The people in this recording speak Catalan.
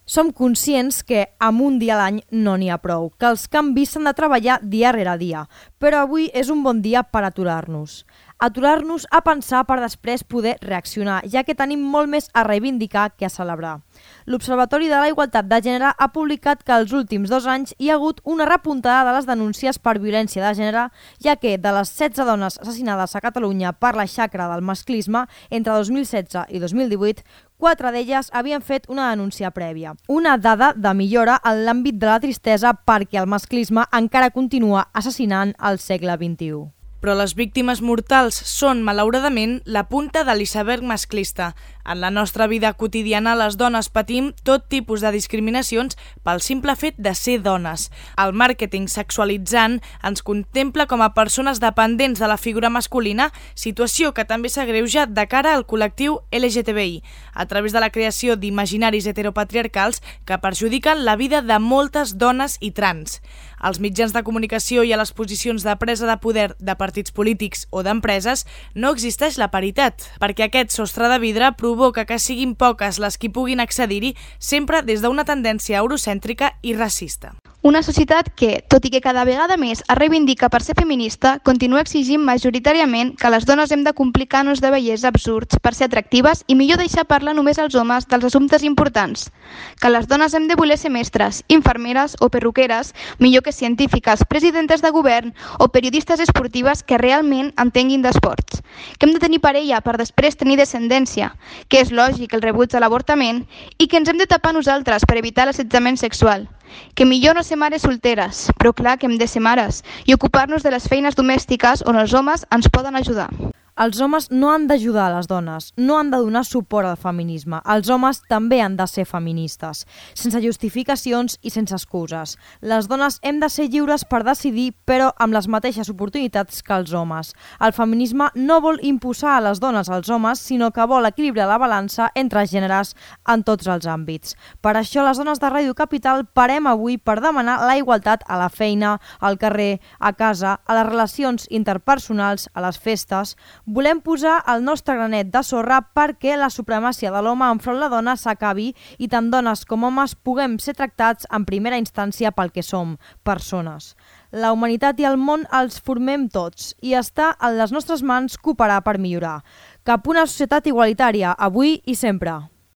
Som conscients que amb un dia a l'any no n'hi ha prou, que els canvis s'han de treballar dia rere dia, però avui és un bon dia per aturar-nos. Aturar-nos a pensar per després poder reaccionar, ja que tenim molt més a reivindicar que a celebrar. L'Observatori de la Igualtat de Gènere ha publicat que els últims 2 anys hi ha hagut una repuntada de les denúncies per violència de gènere, ja que de les 16 dones assassinades a Catalunya per la xacra del masclisme entre 2016 i 2018, 4 d'elles havien fet una denúncia prèvia. Una dada de millora en l'àmbit de la tristesa perquè el masclisme encara continua assassinant al segle XXI. Però les víctimes mortals són, malauradament, la punta de l'iceberg masclista. En la nostra vida quotidiana, les dones patim tot tipus de discriminacions pel simple fet de ser dones. El màrqueting sexualitzant ens contempla com a persones dependents de la figura masculina, situació que també s'agreuja de cara al col·lectiu LGTBI, a través de la creació d'imaginaris heteropatriarcals que perjudiquen la vida de moltes dones i trans. Als mitjans de comunicació i a les posicions de presa de poder de partits polítics o d'empreses no existeix la paritat, perquè aquest sostre de vidre provoca que siguin poques les qui puguin accedir-hi, sempre des d'una tendència eurocèntrica i racista. Una societat que, tot i que cada vegada més es reivindica per ser feminista, continua exigint majoritàriament que les dones hem de complir cànons de bellesa absurds per ser atractives i millor deixar parlar només als homes dels assumptes importants. Que les dones hem de voler ser mestres, infermeres o perruqueres, millor que científiques, presidentes de govern o periodistes esportives que realment entenguin d'esports. Que hem de tenir parella per després tenir descendència, que és lògic el rebuig a l'avortament i que ens hem de tapar nosaltres per evitar l'assetjament sexual. Que millor no ser mares solteres, però clar que hem de ser mares i ocupar-nos de les feines domèstiques on els homes ens poden ajudar. Els homes no han d'ajudar a les dones, no han de donar suport al feminisme. Els homes també han de ser feministes, sense justificacions i sense excuses. Les dones hem de ser lliures per decidir, però amb les mateixes oportunitats que els homes. El feminisme no vol imposar a les dones als homes, sinó que vol equilibrar la balança entre gèneres en tots els àmbits. Per això les dones de Ràdio Capital parem avui per demanar la igualtat a la feina, al carrer, a casa, a les relacions interpersonals, a les festes. Volem posar el nostre granet de sorra perquè la supremàcia de l'home enfront la dona s'acabi i tant dones com homes puguem ser tractats en primera instància pel que som, persones. La humanitat i el món els formem tots i està en les nostres mans cooperar per millorar. Cap una societat igualitària, avui i sempre.